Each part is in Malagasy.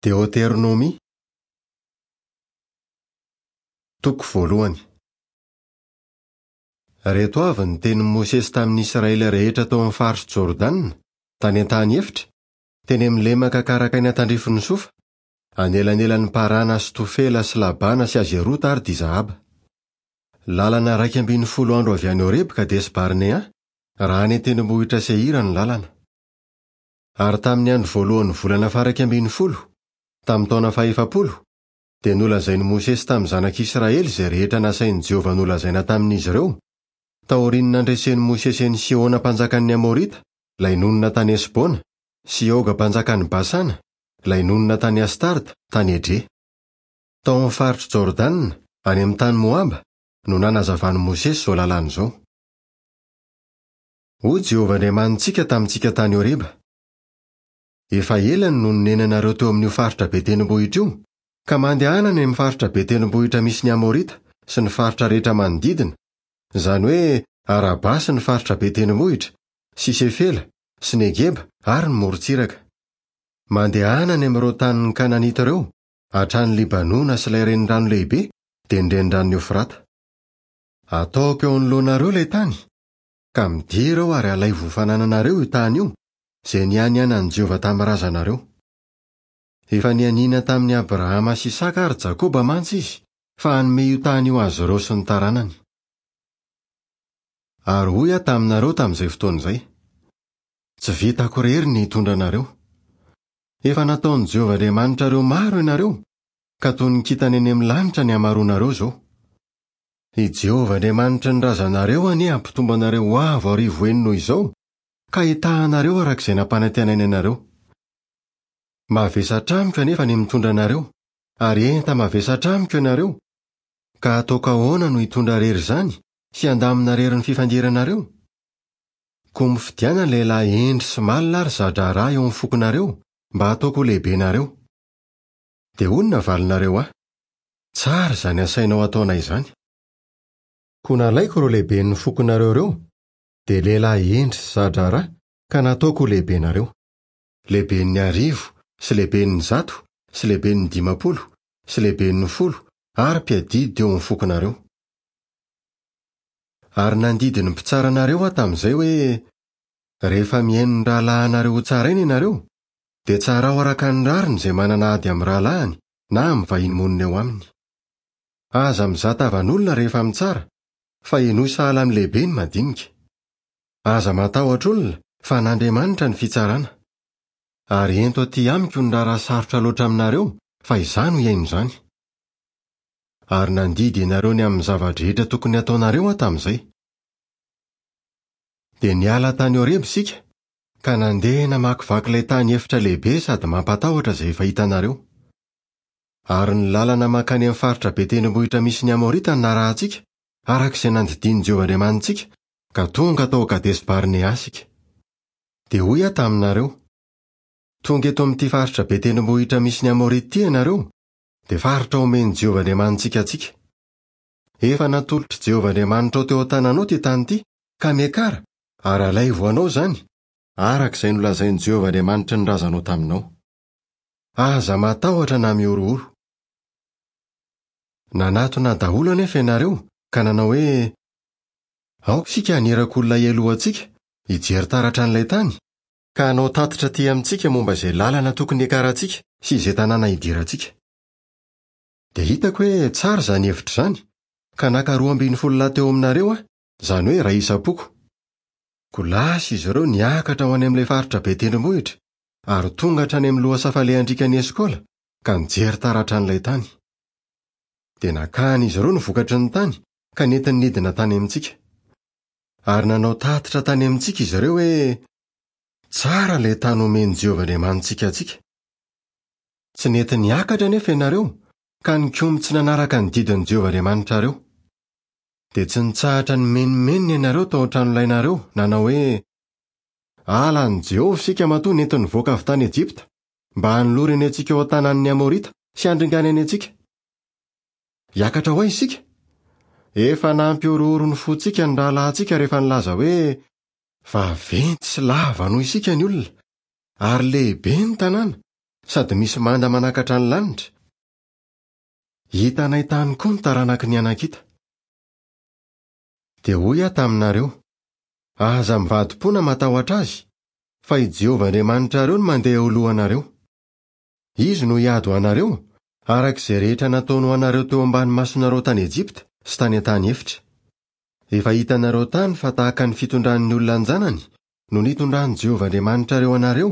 Deoteronomia, toko voalohany. Ireto avy ny tenin'i Mosesy tamin'ny Israely rehetra tao amin'ny faritr'i Jordana, tany an-tany efitra, teny amin'ny lemaka karakaina tandrifin'i Sofa, anelanelan'i Parana sy Tofela sy Labana sy Hazerota ary Dizahaba. Lalana 11 andro avy any Horeba Kadesy-Barnea, raha any an-tendrombohitra Seira ny lalana. Ary tamin'ny andro voalohan'ny volana faharaika ambin'ny folo, tamin'ny taona fahefapolo, dia nolazain'i Mosesy tamin'ny zanak'Israely izay rehetra nasain'i Jehovah nolazaina tamin'izy ireo, taorian'ny nandresen'i Mosesy an'i Sihona mpanjakan'ny Amorita, ilay nonina tany Hesbona, sy i Oga mpanjakan'i Basana, ilay nonina tany Astarta, tany Edrehy. Tao amin'ny faritr'i Jordana, any amin'ny tany Moaba, no nanazavan'i Mosesy izao lalàna izao. Hoy Jehovah Andriamanitsika tamintsika tany Horeba, Efa ela no nonenanareo teo amin'io faritra be tendrombohitra io, ka mandehana any amin'ny faritra be tendrombohitra misy ny Amorita sy ny faritra rehetra manodidina, izany hoe Araba sy ny faritra be tendrombohitra, sy Sefela, sy Negeba ary ny morontsiraka. Mandehana any amin'ireo tanin'ny Kananita ireo, hatrany Libanona sy ilay renirano lehibe, dia ny Reniranon'i Eofrata. Ataoko eo anoloanareo ilay tany, ka midira ao ary alaivo ho fanananareo io tany io, izay nianianan'i Jehovah tamin'ny razanareo. Efa nianiana tamin'i Abrahama sy Isaka ary Jakoba mantsy izy fa hanome io tany io azy ireo sy ny taranany. Ary hoy aho taminareo tamin'izay fotoana izay, Tsy vitako irery ny hitondra anareo. Efa nataon'i Jehovah Andriamanitrareo maro ianareo, ka toy ny kintana eny amin'ny lanitra ny hamaroanareo izao. I Jehovah Andriamanitry ny razanareo anie hampitombo anareo ho avo arivo heny noho izao, ka hitaha anareo araka izay nampanantenainy anareo. Mavesatra amiko anefa ny mitondra anareo, ary enta-mavesatra amiko ianareo, ka hataoko ahoana no hitondra irery izany sy handamina irery ny fifandiranareo? Koa mifidiana lehilahy hendry sy malina ary za-draharaha eo amin'ny fokonareo, mba hataoko ho lehibenareo. Dia hoy ny navalinareo ahy, Tsara izany asainao ataonay izany. Koa nalaiko ireo lehiben'ny fokonareo ireo, dia lehilahy hendry sy za-draharaha, ka nataoko ho lehibenareo. Lehiben'ny arivo, sy lehiben'ny zato, sy lehiben'ny 50, sy lehiben'ny folo, ary mpiadidy teo amin'ny fokonareo. Ary nandidy ny mpitsara anareo aho tamin'izay hoe, Rehefa mihaino ny rahalahinareo hotsaraina ianareo, dia tsarao araka ny rariny izay manana ady amin'ny rahalahiny, na amin'ny vahiny monina eo aminy. Aza mizaha tavan'olona rehefa mitsara, fa henoy sahala amin'ny lehibe ny madinika. Aza matahotra olona, fa an'Andriamanitra ny fitsarana. Ary ento aty amiko ny raharaha sarotra loatra aminareo, fa izaho no hihaino izany. Ary nandidy ianareo ny amin'ny zava-drehetra tokony hataonareo aho tamin'izay. Dia niala tany Horeba isika, ka nandeha namakivaky ilay tany efitra lehibe sady mampatahotra izay efa hitanareo. Ary ny lalana mankany amin'ny faritra be tendrombohitra misy ny Amorita no narahantsika, araka izay nandidian'i Jehovah Andriamanitsika, ka tonga tao Kadesi-Barnea isika. Dia hoy aho taminareo, Tonga eto amin'ity faritra be tendrombohitra misy ny Amorita ity ianareo, dia faritra omen'i Jehovah Andriamanitsika antsika. Efa natolotr'i Jehovah Andriamanitrao teo an-tananao ity tany ity, ka miakara, Ary alaivo ho anao izany, araka izay nolazain'i Jehovah Andriamanitry ny razanao taminao. Aza matahotra na mihorohoro. Nanatona daholo anefa ianareo, ka nanao hoe, Aoka isika haniraka olona hialoha antsika, hijery taratra an'ilay tany, ka hanao tatitra atỳ amintsika momba izay lalana tokony hiakarantsika sy izay tanàna hidirantsika. Dia hitako hoe tsara izany hevitra izany, ka naka 12 lahy teo aminareo aho, izany hoe iray isam-poko. Koa lasa izy ireo niakatra ho any amin'ilay faritra be tendrombohitra, ary tonga hatrany amin'ny lohasaha falehan-driakan'i Eskola, ka nijery taratra an'ilay tany. Dia nakan'izy ireo ny vokatry ny tany, ka nentiny nidina tany amintsika. Ary nanao tatitra tany amintsika izy ireo hoe, Tsara ilay tany omen'i Jehovah Andriamanitsika antsika. Tsy nety niakatra anefa ianareo, ka nikomy tsy nanaraka ny didin'i Jehovah Andriamanitrareo. Dia tsy nitsahatra nimenomenona ianareo tao an-tranolainareo, nanao hoe, Halan'i Jehovah isika matoa nentiny nivoaka avy tany Ejipta, mba hanolorany antsika eo an-tanan'ny Amorita sy handringanany antsika. Hiakatra ho aiza isika? Efa nampihorohoro ny fontsika ny rahalahintsika rehefa nilaza hoe, 'Vaventy sy lava noho isika ny olona, ary lehibe ny tanàna, sady misy manda manakatra ny lanitra. Hitanay tany koa ny taranaky ny Anakita. Dia hoy aho taminareo, Aza mivadi-po na matahotra azy, fa i Jehovah Andriamanitrareo no mandeha eo alohanareo. Izy no hiady ho anareo, araka izay rehetra nataony ho anareo teo ambany masonareo tany Ejipta sy tany an-tany efitra. Efa hitanareo tany fa tahaka ny fitondran'ny olona an-janany no nitondran'i Jehovah Andriamanitrareo anareo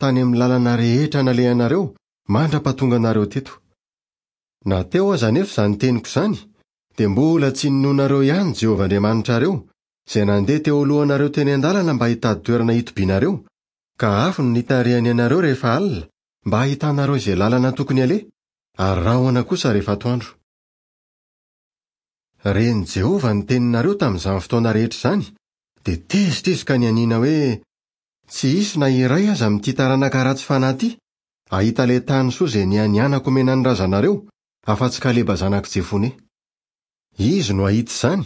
tany amin'ny lalana rehetra nalehanareo mandra-pahatonga anareo teto. Na teo aza anefa izany teniko izany, dia mbola tsy ninoanareo ihany Jehovah Andriamanitrareo, izay nandeha teo alohanareo teny an-dalana mba hitady toerana hitobianareo, ka afo no nitarihany anareo rehefa alina, mba hahitanareo izay lalana tokony haleha, ary rahona kosa rehefa atoandro. Ren'i Jehovah ny teninareo tamin'izany fotoana rehetra izany, dia tezitra izy ka nianiana hoe, Tsy hisy na iray aza amin'ity taranaka ratsy fanahy ity hahita ilay tany soa izay nianianako homena ny razanareo, afa-tsy Kaleba zanak'i Jefone. Izy no hahita izany,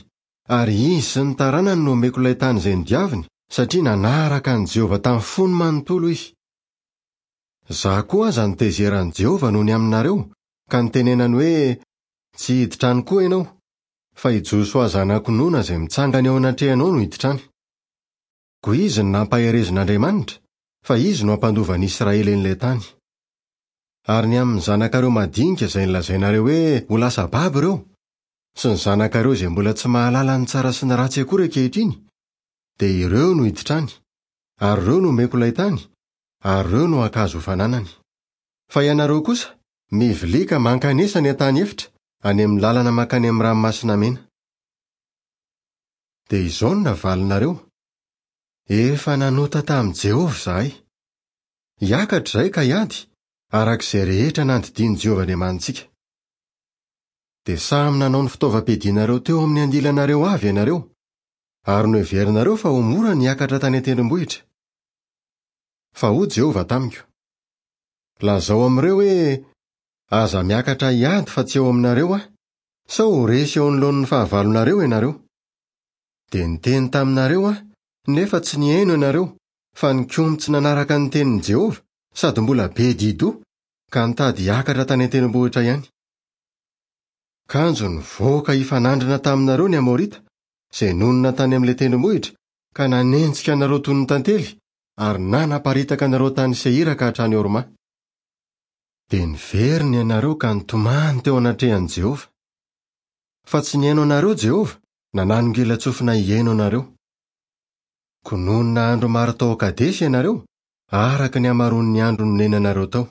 ary izy sy ny taranany no homeko ilay tany izay nodiaviny, satria nanaraka an'i Jehovah tamin'ny fony manontolo izy. Izaho koa aza notezeran'i Jehovah noho ny aminareo, ka nitenenany hoe, Tsy hiditra any koa ianao, fa i Josoa zanak'i Nona izay mitsangana eo anatrehanao no hiditra any. Koa izy no nampaherezin'Andriamanitra, fa izy no hampandova ny Israely an'ilay tany. Ary ny amin'ny zanakareo madinika izay nolazainareo hoe ho lasa babo ireo, sy ny zanakareo izay mbola tsy mahalala ny tsara sy ny ratsy akory ankehitriny, dia ireo no hiditra any, ary ireo no homeko ilay tany, ary ireo no haka azy ho fananany. Fa ianareo kosa, mivilia ka mankanesa any an-tany efitra, any amin'ny lalana mankany amin'ny Ranomasina Mena. Dia izao no navalinareo, Efa nanota tamin'i Jehovah izahay. Hiakatra izahay ka hiady, araka izay rehetra nandidian'i Jehovah Andriamanitsika. Dia samy nanao ny fitaovam-piadianareo teo amin'ny andilanareo avy ianareo, ary noheverinareo fa ho mora ny hiakatra tany an-tendrombohitra. Fa hoy Jehovah tamiko, Lazao amin'ireo hoe, 'Aza miakatra hiady fa tsy eo aminareo aho, sao ho resy eo anoloan'ny fahavalonareo ianareo. Dia niteny taminareo aho, nefa tsy nihaino ianareo, fa nikomy tsy nanaraka ny tenin'i Jehovah, sady mbola be di-doha, ka nitady hiakatra tany an-tendrombohitra ihany. Kanjo nivoaka hifanandrina taminareo ny Amorita, izay nonina tany amin'ilay tendrombohitra, ka nanenjika anareo toy ny tantely, ary nanaparitaka anareo tany Seira ka hatrany Horma. Dia niverina ianareo ka nitomany teo anatrehan'i Jehovah. Fa tsy nihaino anareo Jehovah, na nanongilan-tsofina hihaino anareo. Koa nonina andro maro tao Kadesy ianareo, araka ny hamaroan'ny andro nonenanareo tao.